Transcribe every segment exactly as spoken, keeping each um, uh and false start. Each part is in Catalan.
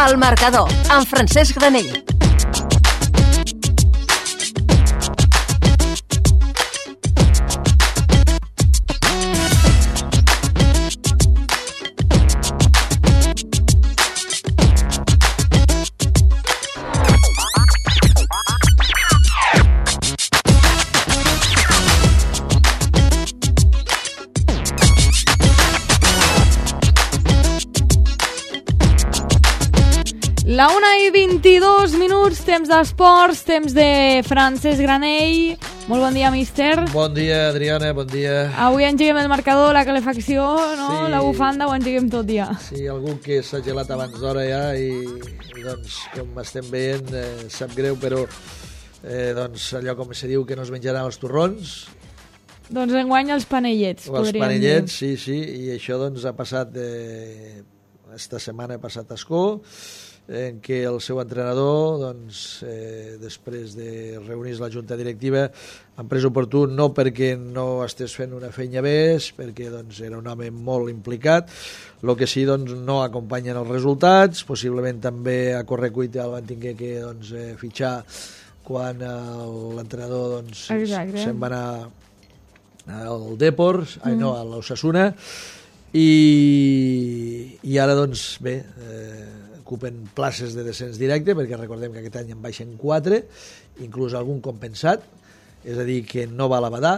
El Marcador, amb Francesc Granell. La una i vint-i-dos minuts, temps d'esports, temps de Francesc Granell. Molt bon dia, míster. Bon dia, Adriana, bon dia. Avui engeguem el marcador, la calefacció, no? Sí. La bufanda, ho engeguem tot dia. Sí, algú que s'ha gelat abans d'hora ja i, i doncs, com estem veient, eh, sap greu, però eh, doncs, allò com se diu que no es menjaran els torrons. Doncs enguany els panellets, o els podríem panellets, dir. sí, sí, i això doncs ha passat, eh, esta setmana ha passat a Ascó, en què el seu entrenador, doncs, eh, després de reunir-se la junta directiva, han pres oportú no perquè no estés fent una feina més, perquè doncs, era un home molt implicat, el que sí doncs, no acompanyen els resultats, possiblement també a correcuita el van tinguer que doncs, eh, fitxar quan l'entrenador doncs, se'n va anar al Depor, mm. ai no, a l'Osasuna, i, i ara doncs bé, eh, ocupen places de descens directe, perquè recordem que aquest any en baixen quatre, inclús algun compensat, és a dir, que no va a la badar,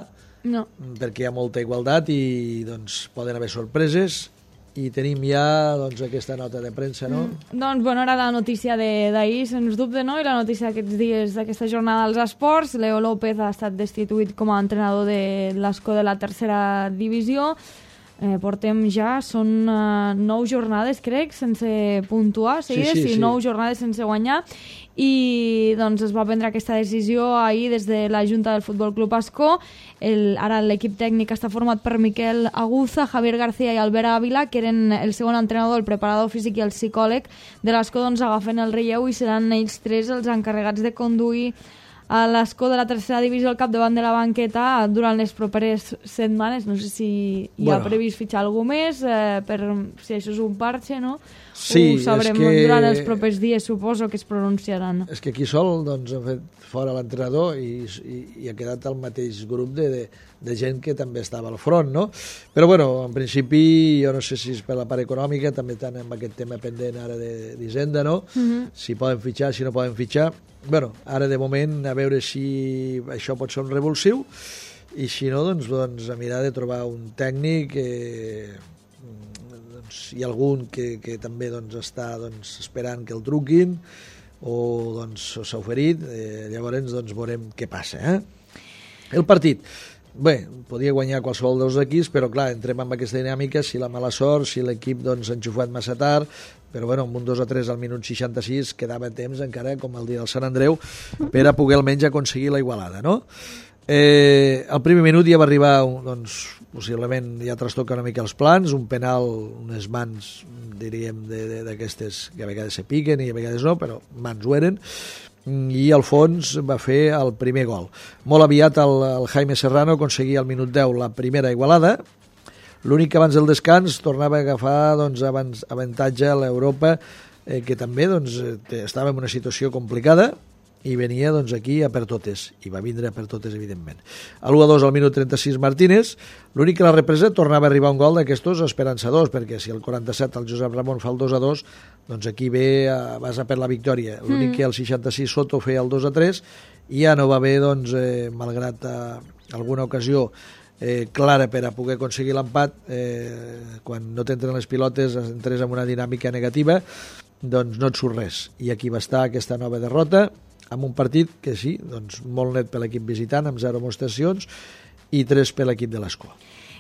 no. perquè hi ha molta igualtat i doncs, poden haver sorpreses, i tenim ja doncs, aquesta nota de premsa, no? Mm. Doncs, bueno, era la notícia d'ahir, sens dubte, no? I la notícia d'aquests dies, d'aquesta jornada dels esports. Leo López ha estat destituït com a entrenador de l'Ascó de la tercera divisió. Eh, portem ja, són uh, nou jornades, crec, sense puntuar, seguides, sí, sí, sí, sí. nou jornades sense guanyar, i doncs es va prendre aquesta decisió ahir des de la Junta del Futbol Club Ascó. El, ara l'equip tècnic està format per Miquel Aguza, Javier García i Albert Ávila, que eren el segon entrenador, el preparador físic i el psicòleg de l'Ascó, doncs agafen el relleu i seran ells tres els encarregats de conduir a l'Ascó de la tercera divisió al capdavant de la banqueta durant les properes setmanes. No sé si hi ha bueno. previst fitxar algú més, eh, per si això és un parxe, no? Sí, ho sabrem que... durant els propers dies, suposo que es pronunciaran. És que aquí sol doncs, han fet fora l'entrenador i, i, i ha quedat el mateix grup de, de, de gent que també estava al front, no? Però, bueno, en principi, jo no sé si és per la part econòmica, també estan amb aquest tema pendent ara d'Hisenda, no? Uh-huh. Si poden fitxar, si no poden fitxar. Bueno, ara de moment, a veure si això pot ser un revulsiu, i si no, doncs, doncs a mirar de trobar un tècnic, eh, doncs, hi ha algun que, que també doncs, està doncs, esperant que el truquin, o doncs s'ha oferit, eh, llavors doncs, veurem què passa. Eh? El partit, bé, podia guanyar qualsevol dels equips, però clar, entrem amb aquesta dinàmica, si la mala sort, si l'equip doncs, s'ha enxufat massa tard, però bueno, amb un dos a tres al minut seixanta-sis quedava temps encara, com el dia del Sant Andreu, per a poder almenys aconseguir la igualada, no? Eh, al primer minut ja va arribar, doncs, possiblement ja trastoca una mica els plans, un penal, unes mans, diríem, d'aquestes que a vegades se piquen i a vegades no, però mans ho eren, i Alfons va fer el primer gol. Molt aviat el, el Jaime Serrano aconseguia al minut deu la primera igualada. L'únic que abans del descans tornava a agafar doncs, abans, avantatge a l'Europa, eh, que també doncs, estava en una situació complicada i venia doncs, aquí a per totes, i va vindre a per totes, evidentment. A l'u a dos al minut trenta-sis Martínez, l'únic que la represa tornava a arribar un gol d'aquestos esperançadors, perquè si el quaranta-set el Josep Ramon fa el dos a dos, doncs aquí ve a, vas a per la victòria. L'únic mm. que el seixanta-sis Soto feia el dos a tres, i ja no va haver, doncs, eh, malgrat eh, alguna ocasió eh, clara per a poder aconseguir l'empat, eh, quan no t'entren les pilotes entres en una dinàmica negativa, doncs no et surt res. I aquí va estar aquesta nova derrota, amb un partit que sí, doncs molt net per l'equip visitant, amb zero amonestacions, i tres per l'equip de l'Ascó.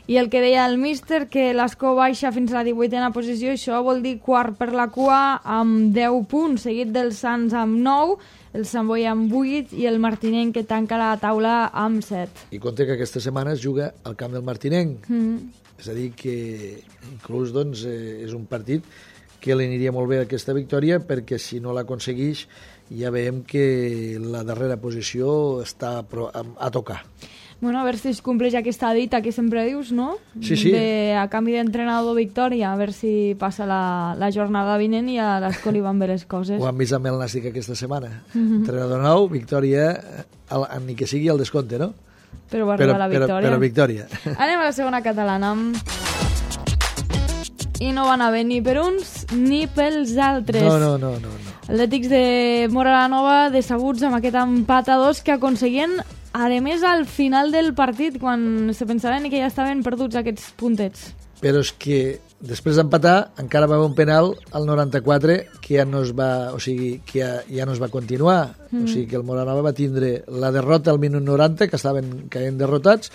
I el que deia el míster, que l'Ascó baixa fins a la divuitena posició, això vol dir quart per la cua amb deu punts, seguit del Sants amb nou, el Sant Boi amb vuit i el Martinenc, que tanca la taula amb set. I compte que aquesta setmana es juga al camp del Martinenc. Mm. És a dir, que inclús doncs, eh, és un partit que li aniria molt bé aquesta victòria, perquè si no l'aconsegueix ja veiem que la darrera posició està a tocar. Bueno, a veure si es compleix aquesta dita que sempre dius, no? Sí, sí. De, a canvi d'entrenador victòria, a veure si passa la, la jornada vinent i a l'Escó li van bé les coses. Ho han vist amb el Nàstic aquesta setmana. Mm-hmm. Entrenador nou, victòria, el, ni que sigui el descompte, no? Però va arribar però, la victòria. Però, però victòria. Anem a la segona catalana. I no van haver ni per uns ni pels altres. No, no, no, no. no. Atlètics de Móra la Nova decebuts amb aquest empat a dos que aconseguien, a més, al final del partit, quan se pensaven que ja estaven perduts aquests puntets. Però és que després d'empatar encara va haver un penal al noranta-quatre que ja no es va, o sigui, que ja, ja no es va continuar. Mm. O sigui que el Móra la Nova va tindre la derrota al minut noranta, que estaven caient derrotats,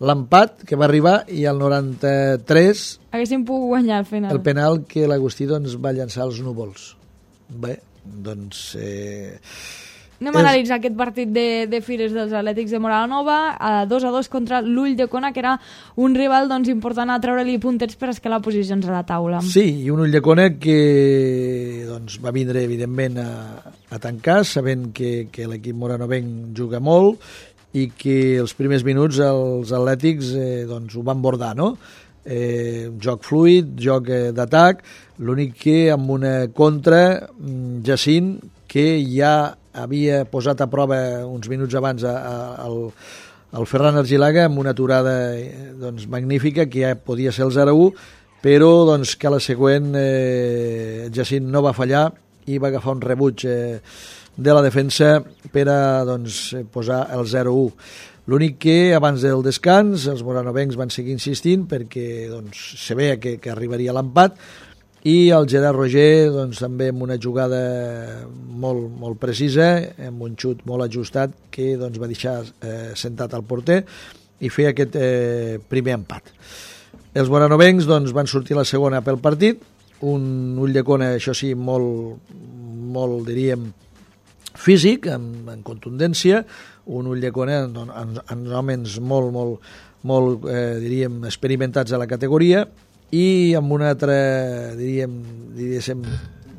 l'empat que va arribar i al noranta-tres haguéssim pogut guanyar al final. El penal que l'Agustí doncs, va llançar als núvols. Bé, doncs... Eh, Anem a és... analitzar aquest partit de, de fires dels Atlètics de Móra la Nova, a dos a dos contra l'Ulldecona, que era un rival doncs, important a treure-li puntets per escalar posicions a la taula. Sí, i un Ulldecona que doncs, va vindre, evidentment, a, a tancar, sabent que, que l'equip moranovenc juga molt, i que els primers minuts els atlètics eh, doncs, ho van bordar, no? Eh, joc fluid, joc eh, d'atac, l'únic que amb una contra, Jacint, que ja havia posat a prova uns minuts abans a, a, al, al Ferran Argilaga amb una aturada eh, doncs, magnífica, que ja podia ser el zero a u, però doncs, que a la següent eh, Jacint no va fallar i va agafar un rebuig eh, de la defensa per a doncs, posar el zero a u. L'únic que abans del descans els moranovencs van seguir insistint perquè doncs, se veia que, que arribaria l'empat i el Gerard Roger doncs, també amb una jugada molt, molt precisa, amb un xut molt ajustat que doncs, va deixar eh, sentat al porter i fer aquest eh, primer empat. Els moranovencs doncs, van sortir la segona pel partit, un Ulldecona, això sí, molt, molt diríem, físic, amb, amb contundència, un Ulldecona amb, amb, amb homes molt, molt, molt eh, diríem, experimentats a la categoria i amb una altra, diríem, diríem,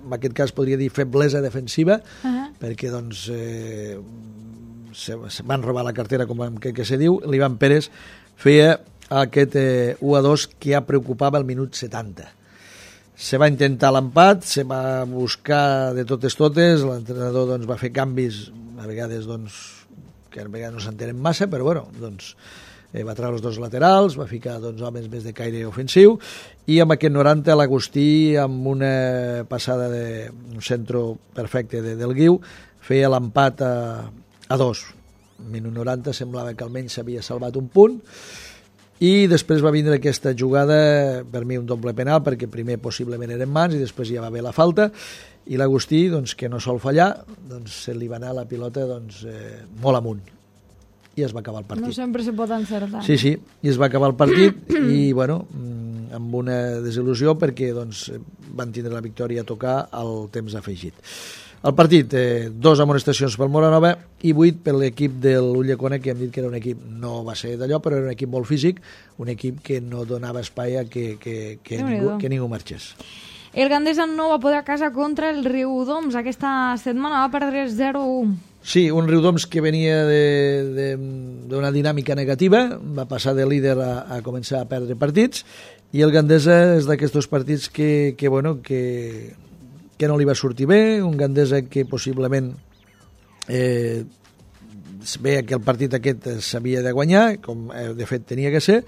en aquest cas podria dir feblesa defensiva, uh-huh. perquè doncs eh, se, se van robar la cartera, com que, que se diu. L'Ivan Pérez feia aquest eh, u a dos que ja preocupava el minut setanta. Se va intentar l'empat, se va buscar de totes totes, l'entrenador doncs, va fer canvis, a vegades doncs, que a vegades no s'entenen massa, però bueno, doncs, eh, va treure els dos laterals, va ficar doncs, homes més de caire ofensiu, i amb aquest noranta l'Agustí, amb una passada de un centre perfecte de, del Guiu, feia l'empat a, a dos. Minut noranta semblava que almenys s'havia salvat un punt, i després va vindre aquesta jugada, per mi un doble penal, perquè primer possiblement eren mans i després ja va haver la falta, i l'Agustí, doncs, que no sol fallar, doncs, se li va anar la pilota doncs, eh, molt amunt i es va acabar el partit. No sempre se pot encertar. Sí, sí, i es va acabar el partit i, bueno, amb una desil·lusió perquè doncs, van tindre la victòria a tocar al temps afegit. El partit, eh, dos amonestacions pel Móra la Nova i vuit per l'equip de l'Ulldecona, que hem dit que era un equip, no va ser d'allò, però era un equip molt físic, un equip que no donava espai a que, que, que, ningú, que ningú marxés. El Gandesa no va poder a casa contra el Riudoms. Aquesta setmana va perdre zero a u. Sí, un Riudoms que venia d'una dinàmica negativa, va passar de líder a, a començar a perdre partits, i el Gandesa és d'aquests partits que, que, bueno, que, que no li va sortir bé, un Gandesa que possiblement eh, es veia que el partit aquest s'havia de guanyar, com eh, de fet tenia que ser,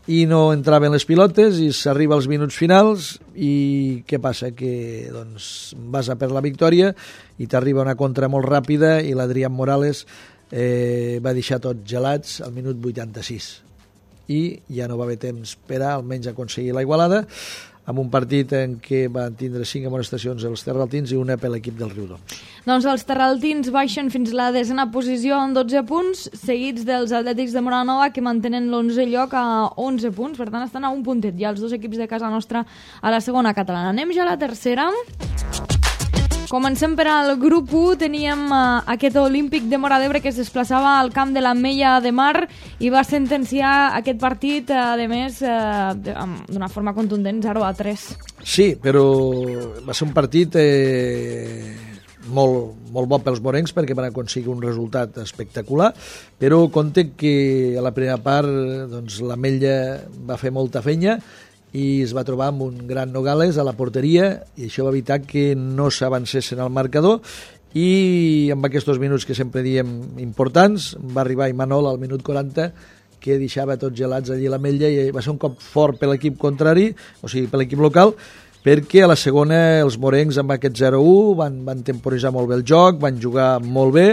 i no entraven les pilotes i s'arriba als minuts finals i què passa? Que doncs, vas a per la victòria i t'arriba una contra molt ràpida i l'Adrián Morales eh, va deixar tots gelats al minut vuitanta-sis i ja no va haver temps per a almenys aconseguir la igualada, amb un partit en què van tindre cinc amonestacions els terraltins i una per l'equip del Riudoms. Doncs els terraltins baixen fins a la desena posició amb dotze punts, seguits dels Atlètics de Móra la Nova, que mantenen l'onzè lloc a onze punts, per tant estan a un puntet ja els dos equips de casa nostra a la segona catalana. Anem ja a la tercera. Comencem per al grup u, teníem uh, aquest Olímpic de Móra d'Ebre que es desplaçava al camp de la Mella de Mar i va sentenciar aquest partit, uh, a més, uh, d'una forma contundent, zero a tres. Sí, però va ser un partit eh, molt, molt bo pels morencs perquè van aconseguir un resultat espectacular, però compte que a la primera part doncs, l'Ametlla va fer molta feina i es va trobar amb un gran Nogales a la porteria i això va evitar que no s'avancessin al marcador i amb aquests minuts que sempre diem importants va arribar Imanol al minut quaranta que deixava tots gelats allí a l'Ametlla i va ser un cop fort per l'equip contrari, o sigui, per l'equip local, perquè a la segona els morencs amb aquest zero a u van, van temporitzar molt bé el joc, van jugar molt bé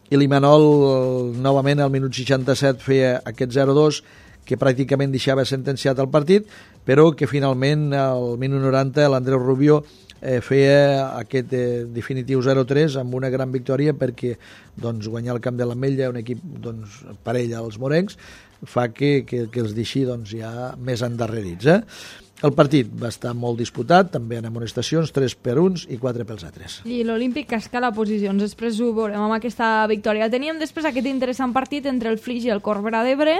i l'Imanol novament al minut seixanta-set feia aquest zero a dos que pràcticament deixava sentenciat el partit, però que finalment al minut noranta l'Andreu Rubio eh, feia aquest eh, definitiu zero a tres amb una gran victòria perquè doncs, guanyar el camp de l'Ametlla, un equip doncs, parell als morencs, fa que, que, que els deixi doncs, ja més endarrerits. Eh? El partit va estar molt disputat, també en amonestacions, tres per uns i quatre pels altres. I l'Olímpic que escala posicions, després ho veurem amb aquesta victòria. Teníem després aquest interessant partit entre el Flix i el Corbera d'Ebre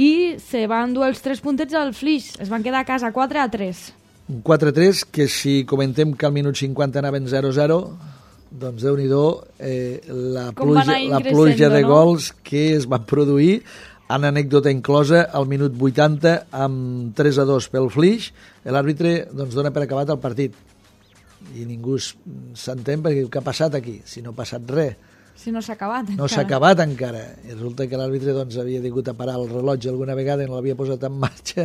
i se van dur els tres puntets al Flix, es van quedar a casa quatre a tres. Un quatre a tres que si comentem que al minut cinquanta anaven zero a zero, doncs Déu-n'hi-do eh, la, pluja, la pluja de no? gols que es van produir. En anècdota inclosa, al minut vuitanta, amb tres a dos pel Flix, l'àrbitre doncs, dona per acabat el partit. I ningú s'entén perquè què ha passat aquí? Si no ha passat res. Si no s'ha acabat encara. No s'ha acabat encara. I resulta que l'àrbitre doncs, havia hagut a parar el rellotge alguna vegada i no l'havia posat en marxa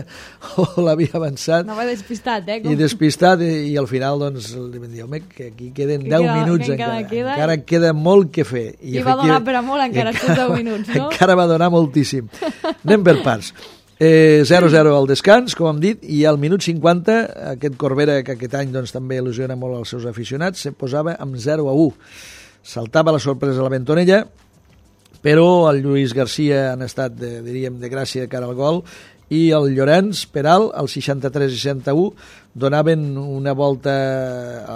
o l'havia avançat. No va despistat, eh? Com... I despistat, i, i al final doncs, li vam dir, home, que aquí queden que deu queda, minuts que encara. Queda... Encara queda molt que fer. I, I va donar per a molt encara aquests deu minuts, no? Encara va donar moltíssim. Anem per parts. Eh, zero a zero al descans, com hem dit, i al minut cinquanta aquest Corbera, que aquest any doncs, també il·lusiona molt als seus aficionats, se posava amb zero a u. Saltava la sorpresa a la Bentonella, però el Lluís Garcia han estat, de, diríem, de gràcia de cara al gol, i el Llorenç Peral, al seixanta-tres i seixanta u, donaven una volta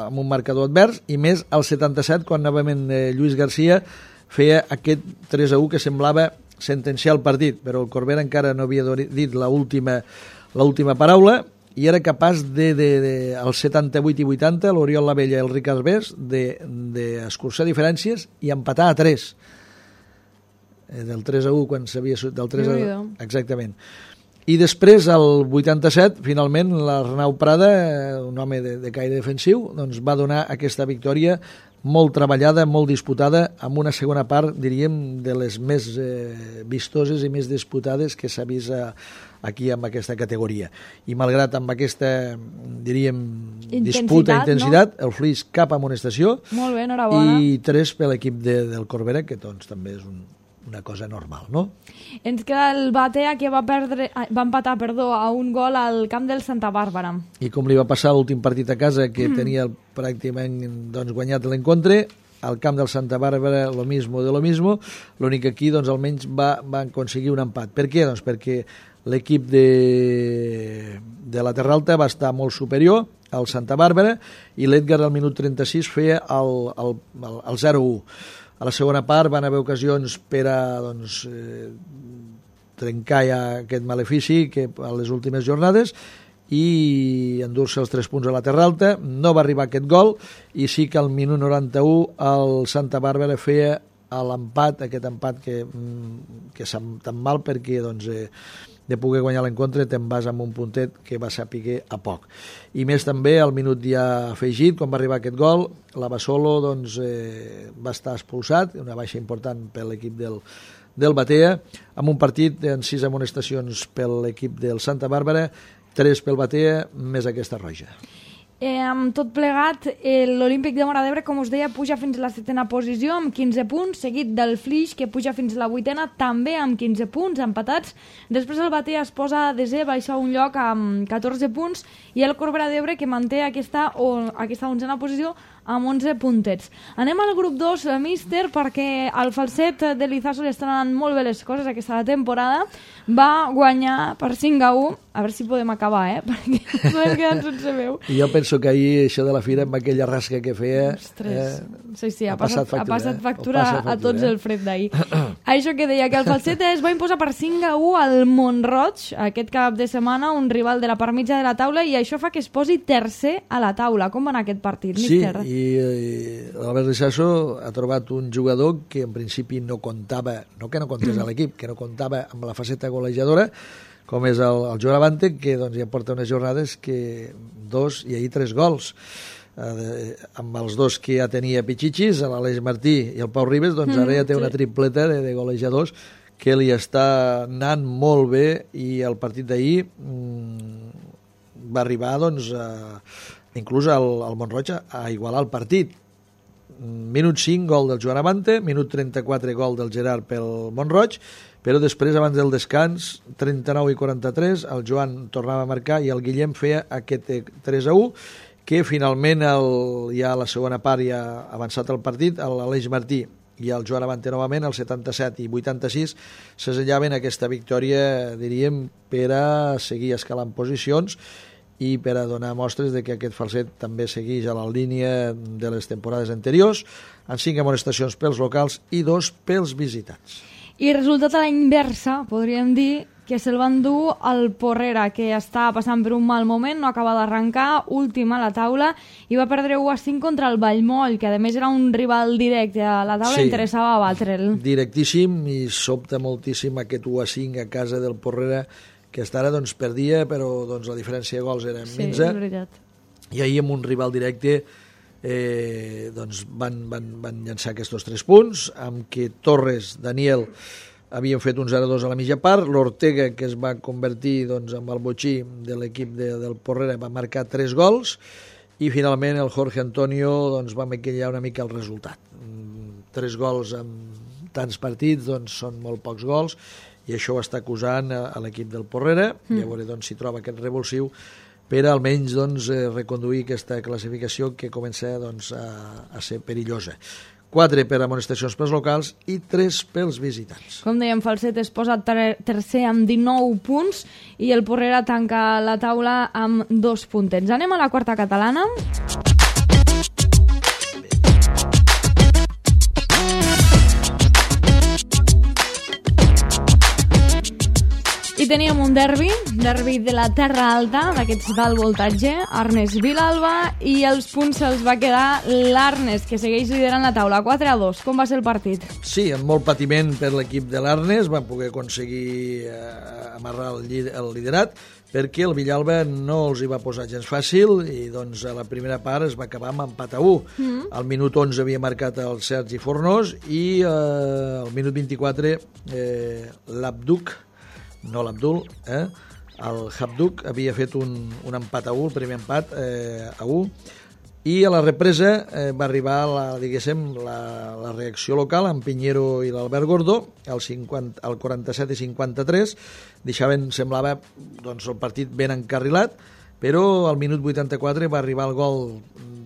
amb un marcador advers, i més al setanta-set, quan novament Lluís Garcia feia aquest tres a u que semblava sentenciar el partit, però el Corbera encara no havia dit l'última l'última paraula, i era capaç de, de, de als setanta-vuit i vuitanta, l'Oriol Lavella i el Ricard Bés, d'escurçar de, diferències i empatar a tres. Del tres a u, quan s'havia... Del tres a u, exactament. I després, al vuitanta-set, finalment, l'Arnau Prada, un home de, de caire defensiu, doncs va donar aquesta victòria molt treballada, molt disputada, amb una segona part, diríem, de les més eh, vistoses i més disputades que s'ha vist a, aquí amb aquesta categoria. I malgrat amb aquesta, diríem, intensitat, disputa, intensitat, no? El Flix cap a amonestació. Molt bé, enhorabona. I tres per l'equip de, del Corbera, que doncs també és un, una cosa normal, no? Ens queda el Batea, que va, perdre, va empatar perdó, a un gol al camp del Santa Bàrbara. I com li va passar l'últim partit a casa, que mm. tenia pràcticament doncs, guanyat l'encontre, al camp del Santa Bàrbara lo mismo de lo mismo, l'únic que aquí doncs, almenys va, va aconseguir un empat. Per què? Doncs perquè l'equip de, de la Terra Alta va estar molt superior al Santa Bàrbara i l'Edgar al minut trenta-sis feia el, el, el, el zero a u. A la segona part van haver ocasions per a doncs, eh, trencar ja aquest malefici que a les últimes jornades i endur-se els tres punts a la Terra Alta. No va arribar aquest gol i sí que al minut noranta-u el Santa Bàrbara feia l'empat, aquest empat que, que sap tan mal perquè doncs, eh, de poder guanyar l'encontre te'n vas amb un puntet que va saber a poc. I més també al minut ja afegit, quan va arribar aquest gol, la Basolo doncs, eh, va estar expulsat, una baixa important per l'equip del, del Batea, amb un partit en sis amonestacions per l'equip del Santa Bàrbara, tres pel Batea, més aquesta roja. Eh, amb tot plegat, eh, l'Olímpic de Móra d'Ebre, com us deia, puja fins a la setena posició amb quinze punts, seguit del Flix, que puja fins a la vuitena, també amb quinze punts, empatats. Després el Batea es posa a desè, baixa un lloc amb catorze punts, i el Corbera d'Ebre, que manté aquesta, o, aquesta onzena posició amb onze puntets. Anem al grup dos, míster, perquè al falset de l'Izaso li estan anant molt bé les coses aquesta temporada. Va guanyar per cinc a u. A veure si podem acabar, eh? Perquè no ens quedem sense veu. I jo penso que ahir això de la fira, amb aquella rasca que feia... Ostres, eh, sí, sí, ha, ha passat, passat factura, ha passat factura, eh? factura a tots eh? el fred d'ahir. Això que deia, que el falset es va imposar per cinc a u al Mont-roig aquest cap de setmana, un rival de la part mitja de la taula, i això fa que es posi tercer a la taula. Com va anar aquest partit, sí, míster? i i, i l'Albert Rissasso ha trobat un jugador que en principi no comptava, no que no comptés a l'equip, que no comptava amb la faceta golejadora, com és el, el Joan Abante, que doncs, ja porta unes jornades que dos i ahir tres gols. Eh, amb els dos que ja tenia Pichichis, l'Aleix Martí i el Pau Ribes, doncs ara ja té una tripleta de, de golejadors que li està anant molt bé, i el partit d'ahir mmm, va arribar doncs, a, inclús al, al Mont-roig a igualar el partit. Minut cinc, gol del Joan Abante, minut trenta-quatre, gol del Gerard pel Mont-roig, però després, abans del descans, trenta-nou i quaranta-tres, el Joan tornava a marcar i el Guillem feia aquest tres a u, que finalment el, ja a la segona part ja ha avançat el partit, l'Aleix Martí i el Joan Abante novament, el setanta-set i vuitanta-sis, s'assellaven aquesta victòria, diríem, per a seguir escalant posicions i per a donar mostres de que aquest falset també segueix a la línia de les temporades anteriors, amb cinc amonestacions pels locals i dos pels visitants. I resultat a la inversa, podríem dir que se'l van dur al Porrera, que està passant per un mal moment, no acaba d'arrencar, últim a la taula, i va perdre u a cinc contra el Vallmoll, que a més era un rival directe a la taula, sí, interessava batre'l. Directíssim, i sobta moltíssim aquest u a cinc a casa del Porrera, que està ara doncs, perdia, però doncs, la diferència de gols era sí, minsa. És veritat. I ahir amb un rival directe eh, doncs van, van, van llançar aquests tres punts, amb què Torres, Daniel, havien fet un zero a dos a la mitja part, l'Ortega, que es va convertir doncs, en el botxí de l'equip de, del Porrera, va marcar tres gols, i finalment el Jorge Antonio doncs, va maquillar una mica el resultat. Tres gols en tants partits doncs, són molt pocs gols, i això ho està acusant a, a l'equip del Porrera, mm. i a veure doncs, si troba aquest revulsiu per almenys doncs, eh, reconduir aquesta classificació que comença doncs, a, a ser perillosa. Quatre per amonestacions pels locals i tres pels visitants. Com dèiem, Falset es posa ter tercer amb dinou punts i el Porrera tanca la taula amb dos puntets. Anem a la quarta catalana. I teníem un derbi, derbi de la Terra Alta, d'aquests d'alt voltatge, Arnes Vilalba, i els punts se'ls va quedar l'Arnes, que segueix liderant la taula, quatre a dos. Com va ser el partit? Sí, amb molt patiment per l'equip de l'Arnes, van poder aconseguir eh, amarrar el, el liderat, perquè el Villalba no els hi va posar gens fàcil, i doncs a la primera part es va acabar amb empat a u. Mm. Al minut onze havia marcat el Sergi Fornós, i eh, al minut vint-i-quatre eh, l'Abduc, no l'Abdul, eh? el Habduk havia fet un, un empat a u, el primer empat eh, a u, i a la represa eh, va arribar la, diguéssim, la, la reacció local amb Piñero i l'Albert Gordó, al, cinquanta, al quaranta-set i cinquanta-tres, deixaven, semblava doncs, el partit ben encarrilat, però al minut vuitanta-quatre va arribar el gol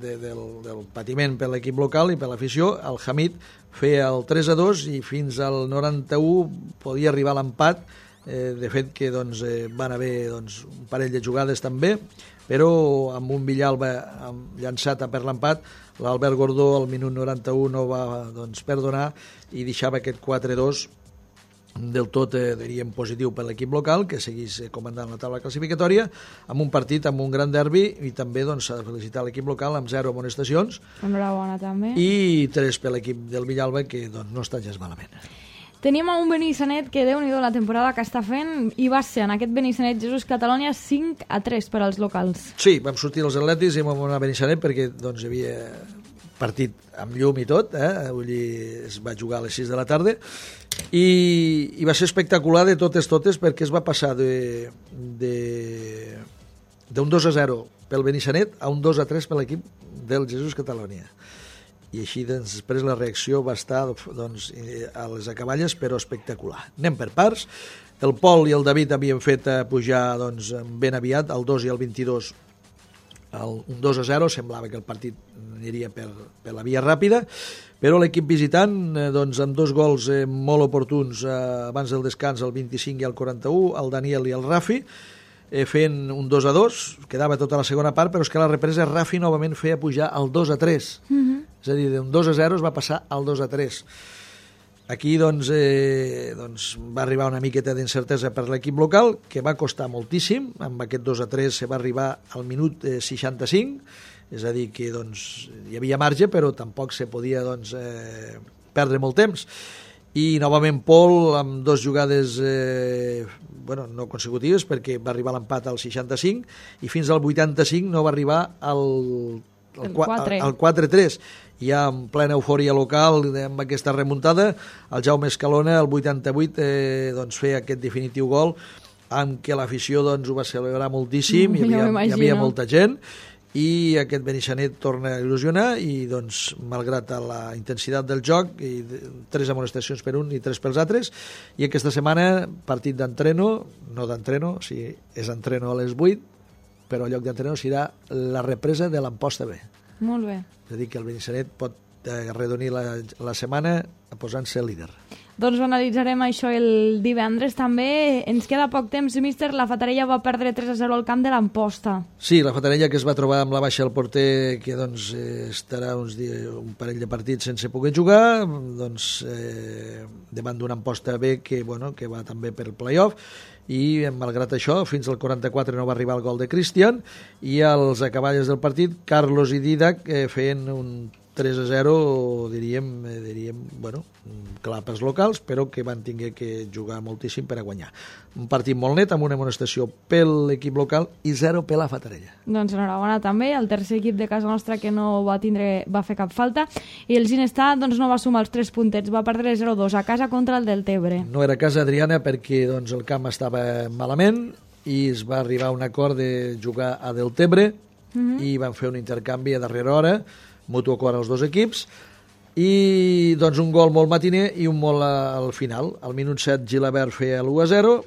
de, del, del patiment per l'equip local i per l'afició. El Hamid feia el tres a dos i fins al noranta-u podia arribar l'empat. Eh, de fet que doncs, eh, van haver doncs, un parell de jugades també, però amb un Villalba amb, llançat per l'empat, l'Albert Gordó al minut noranta-u no va doncs, perdonar i deixava aquest quatre a dos del tot, eh, diríem, positiu per l'equip local, que seguís eh, comandant la taula classificatòria, amb un partit, amb un gran derbi, i també doncs, s'ha de felicitar l'equip local amb zero amonestacions. Enhorabona també. I tres per l'equip del Villalba, que doncs, no està gens malament. Teníem un Benissanet que, Déu-n'hi-do, la temporada que està fent, i va ser en aquest Benissanet Jesús Catalònia cinc a tres per als locals. Sí, vam sortir els atletis i vam anar a Benissanet perquè doncs, hi havia partit amb llum i tot, eh? Vull dir, es va jugar a les sis de la tarda, i, i va ser espectacular de totes totes perquè es va passar de, de, d'un dos a zero pel Benissanet a un dos a tres per l'equip del Jesús Catalònia. I així doncs, després la reacció va estar doncs, a les acaballes, però espectacular. Anem per parts. El Pol i el David havien fet eh, pujar doncs, ben aviat, el dos i el vint-i-dos, el, un dos a zero, semblava que el partit aniria per, per la via ràpida, però l'equip visitant, eh, doncs, amb dos gols eh, molt oportuns eh, abans del descans, el vint-i-cinc i el quaranta-u, el Daniel i el Rafi, eh, fent un dos a dos, quedava tota la segona part, però és que la represa Rafi novament feia pujar el dos a tres. Mm-hmm. És a dir, d'un dos a zero es va passar al dos a tres. Aquí doncs, eh, doncs, va arribar una miqueta d'incertesa per l'equip local, que va costar moltíssim. Amb aquest dos a tres se va arribar al minut eh, seixanta-cinc, és a dir, que doncs, hi havia marge, però tampoc se podia doncs, eh, perdre molt temps. I novament Pol, amb dues jugades eh, bueno, no consecutives, perquè va arribar l'empat al seixanta-cinc i fins al vuitanta-cinc no va arribar al, al, al, al quatre a tres. Ja en plena eufòria local amb aquesta remuntada, el Jaume Escalona al vuitanta-vuit eh, doncs, feia aquest definitiu gol amb què l'afició doncs, ho va celebrar moltíssim, mm, hi, havia, hi havia molta gent, i aquest Benissanet torna a il·lusionar i doncs, malgrat la intensitat del joc, i tres amonestacions per un i tres pels altres, i aquesta setmana partit d'entreno, no d'entreno, o sigui, és entreno a les vuit, però el lloc d'entreno serà la represa de l'Amposta B. Molt bé. És a dir, que el Benissanet pot arredonir la, la setmana posant-se líder. Doncs analitzarem això el divendres també. Ens queda poc temps, míster. La Fatarella va perdre tres a zero al camp de l'Amposta. Sí, la Fatarella que es va trobar amb la baixa del porter, que doncs, eh, estarà uns dies, un parell de partits sense poder jugar, doncs, eh, davant d'una Amposta B que, bueno, que va també per playoff, i malgrat això fins al quaranta-quatre no va arribar el gol de Cristian, i als acaballes del partit Carlos i Didac eh, feien un tres a zero, diríem, eh, diríem bueno, clar pels locals, però que van tinguer que jugar moltíssim per a guanyar. Un partit molt net, amb una amonestació per l'equip local i zero per la Fatarella. Doncs enhorabona també, el tercer equip de casa nostra que no va tindre, va fer cap falta, i el Ginestar doncs, no va sumar els tres puntets, va perdre zero a dos a casa contra el Deltebre. No era casa, Adriana, perquè doncs, el camp estava malament i es va arribar a un acord de jugar a Deltebre, mm-hmm. i van fer un intercanvi a darrera hora, mutu acord als dos equips, i doncs un gol molt matiner i un molt al final. Al minut set Gilabert feia l'u a zero,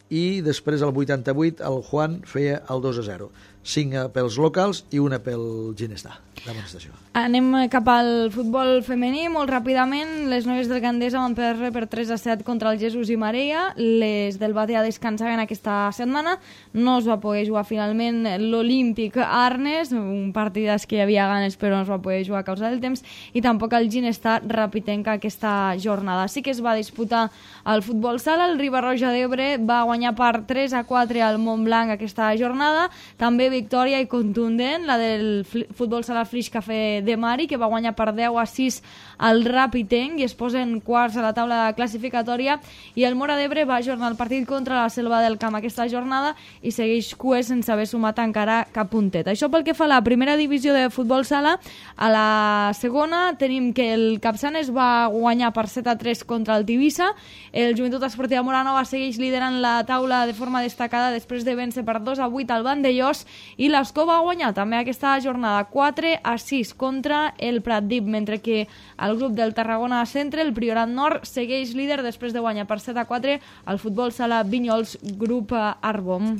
i després al vuitanta-vuit el Juan feia el dos a zero. cinc pels locals i una pel Ginestar d'amonestació. Anem cap al futbol femení molt ràpidament. Les noies del Gandesa van perdre per tres a set contra el Jesús i Mareia. Les del Batea descansaven aquesta setmana. No es va poder jugar finalment l'Olímpic Arnes, un partidàs que hi havia ganes però no es va poder jugar a causa del temps, i tampoc el Ginestar Rapitenca aquesta jornada. Sí que es va disputar el futbol sala. El Riba-roja d'Ebre va guanyar per tres a quatre al Montblanc aquesta jornada. També victòria i contundent la del futbol sala Flix Café de Mari, que va guanyar per deu a sis al Rapitenc i es posen quarts a la taula classificatòria, i el Móra d'Ebre va ajornar el partit contra la Selva del Camp aquesta jornada i segueix cues sense haver sumat encara cap puntet. Això pel que fa a la primera divisió de futbol sala. A la segona tenim que el Capçanes va guanyar per set a tres contra el Tivissa. El Joventut Esportiva Moranova segueix liderant la taula de forma destacada després de vèncer per dos a vuit al Vandellós, i l'Escó va guanyar també aquesta jornada quatre a sis contra el Pratdip, mentre que el grup del Tarragona Centre, el Priorat Nord, segueix líder després de guanyar per set a quatre al futbol sala Vinyols Grup Arbom.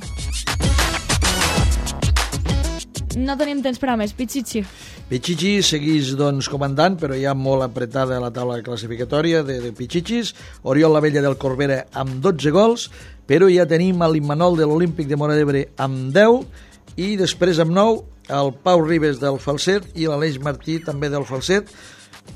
No tenim temps per a més. Pichichi. Pichichi segueix doncs, comandant, però ja molt apretada a la taula classificatòria de, de Pichichis. Oriol Lavella del Corbera amb dotze gols, però ja tenim l'Immanol de l'Olímpic de Móra d'Ebre amb deu, i després amb nou el Pau Ribes del Falset i l'Aleix Martí també del Falset,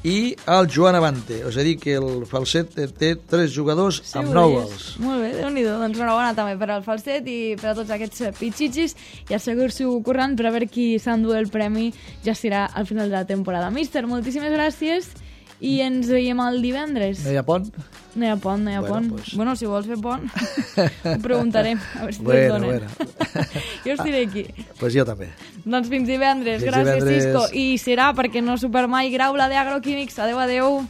i el Joan Avante. És a dir, que el Falset té tres jugadors sí, amb nou gols. Molt bé, Déu-n'hi-do. Doncs enhorabona també per al Falset i per a tots aquests pitxitxis, i assegur-s'ho corrent per a veure qui s'endú el premi, ja serà al final de la temporada. Míster, moltíssimes gràcies i ens veiem el divendres. No hi ha pont? No hi ha pont, no hi ha bueno, pont. Pues... Bueno, si vols fer pont, ho preguntarem, a veure si bueno, te'ls donen. Bueno. Jo estiré aquí. Pues jo també. Doncs fins divendres. Fins Gràcies, divendres. Cisco. I serà perquè no super mai Grau, la d'Agroquímics. Adéu, adéu.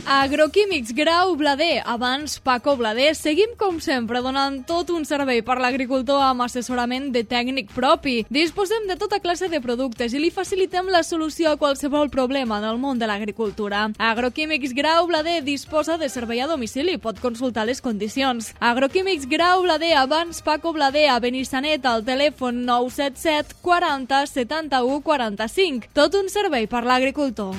Agroquímics Grau Blader, abans Paco Blader. Seguim com sempre donant tot un servei per l'agricultor amb assessorament de tècnic propi. Disposem de tota classe de productes i li facilitem la solució a qualsevol problema en el món de l'agricultura. Agroquímics Grau Blader disposa de servei a domicili, pot consultar les condicions. Agroquímics Grau Blader, abans Paco Blader, a Benissanet, al telèfon nou set set quaranta setanta-u quaranta-cinc. Tot un servei per l'agricultor.